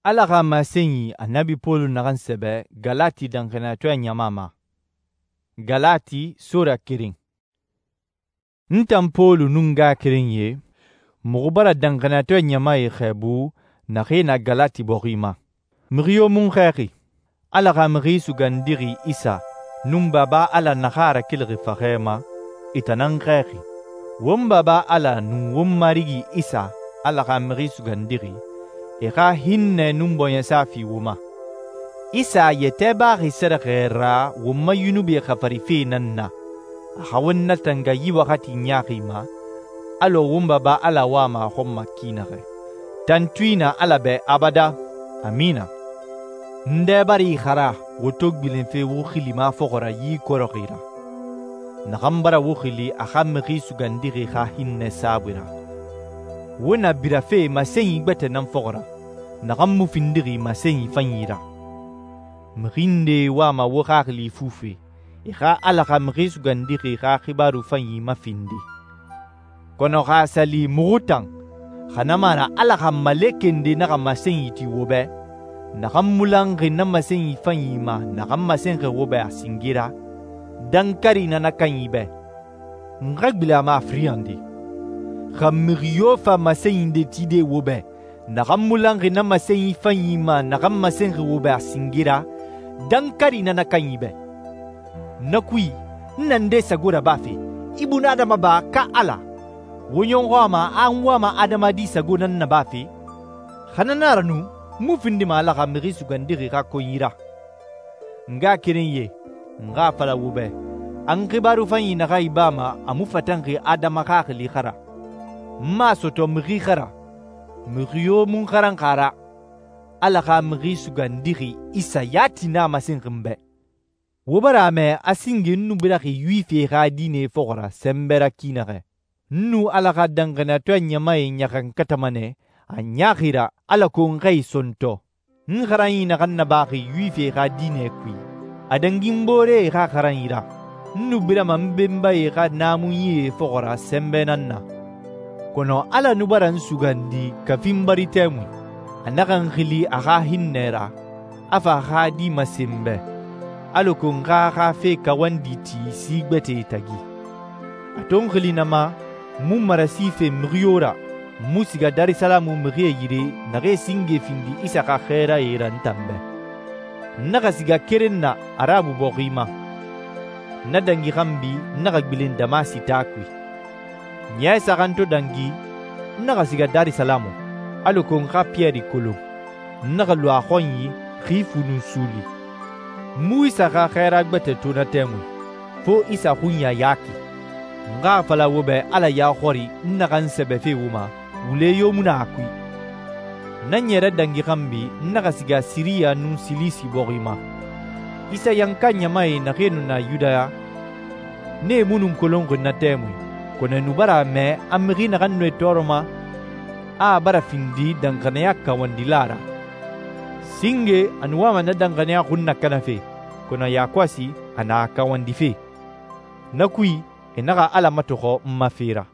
Ala xa masenyi Annabi Pɔlu naxan sɛbɛ Galati danxaniyatɔɛ ɲama ma. Galati sora keren. N tan Pɔlu nun n ngaxakerenyie, muxu bara danxaniyatɔɛ ɲamae xɛɛbu naxee na Galati bɔxi ma. Mixi yo mu n xɛɛxi. Ala xa Mixi Sugandixi Isa nun Baba Ala naxan a rakelixi faxɛ ma, e tan nan xɛɛxi. Won Baba Ala nun won Marigi Isa, Ala xa Mixi Sugandixi, e xa hinnɛ nun bɔɲɛsa fi wo ma. Isa a yɛtɛ baxi sɛrɛxɛ ra won ma yunubie xafarife nan na, a xa won natanga yi waxati ɲaaxi ma, alɔ won Baba Ala wama a xɔn ma ki naxɛ. Tantui na Ala bɛ abada. Amina. N dɛ bara i xara wo to gbilenfe wo xili ma fɔxɔ ra yi kɔrɔxi ra, naxan bara wo xili a xa Mixi Sugandixi xa hinnɛ saabui ra. Wo na birafe masenyi gbɛtɛ nan fɔxɔ ra, naxan mu findixi masenyi fanyi ra. Mixi nde wama wo xaxili fufe, e xa Ala xa Mixi Sugandixi xa xibaaru fanyi mafindi. Kɔnɔ xa a sa li muxu tan, xa na mu na Ala xa malekɛ nde naxa masenyi ti wo bɛ, naxan mu lanxi na masenyi fanyi ma naxan masenxi wo bɛ a singe ra, dankari na na kanyi bɛ. N xa gbilen a ma a firiyande. Xa mixi yo fa masenyi nde tide wo bɛ, naxan mu lanxi na masenyi fanyi ma naxan masenxi wo bɛ a singe ra, dankari na na kanyi bɛ. Na kui, n na nde sago rabafe, i bunadama ba ka Ala? Wo ɲɔxɔ a ma an wama adamadi sago nan nabafe? Xa na na ra nu, n mu findima Ala xa Mixi Sugandixi xa konyi ra. N ngaxakerenyie, n xa a fala wo bɛ, an xibaaru fanyi naxa ibama a mu fatanxi adama xaxili xa ra. N ma a sɔtɔ mixi xa ra. Mixi yo mu n xaran xa ra. Ala xa Mixi Sugandixi Isa yati na a masenxi n bɛ. Wo bara a mɛ a singe n nu biraxi Yuwifie xa diine fɔxɔ ra sɛnbɛ ra ki naxɛ. N nu Ala xa danxaniyatɔɛ ɲamae ɲaxankatama nɛ a ɲaaxi ra alako n xa e sɔntɔ. N xaranyi naxan nabaxi Yuwifie xa diinɛ kui, a dangi n booree xa xaranyi ra. N nu birama n benbae xa naamunyie fɔxɔ ra sɛnbɛ nan na. Kɔnɔ Ala nu bara n sugandi kafi n bari tɛmui. A naxa n xili a xa hinnɛ ra, a fa a xa di masen n bɛ, alako n xa xa fe kawandi ti si gbɛtɛe tagi. A to n xili na ma, n mu marasi fe mixi yo ra, n mu siga Darisalamu mixie yire naxee singe findi Isa xa xɛɛrae ra n tan bɛ. N naxa siga keren na Arabu bɔxi ma. Na dangi xanbi n naxa gbilen Damasi taa kui. Ɲɛ saxan to dangi, n naxa siga Darisalamu, alako n xa Piyɛri kolon. N naxa lu a xɔnyi xi fu nun suuli. N mu Isa xa xɛɛra gbɛtɛ to na tɛmui, fo Isa xunya yaki. N xa a fala wo bɛ Ala ya xɔri n naxan sɛbɛfe wo ma, wule yo mu na a kui. Na ɲɛrɛ dangi xanbi n naxa siga Siriya nun Silisi bɔxi ma. Isa yanka ɲamae naxee nu na Yudaya, nee mu nun kolonxi na tɛmui, kɔnɔ e nu bara a mɛ a mixi naxan nu e tɔɔrɔma, a bara findi danxaniya kawandila ra. Singe a nu wama na danxaniya xun nakanafe, kɔnɔ yakɔsi a na a kawandife. Na kui, e naxa Ala matɔxɔ n ma fe ra.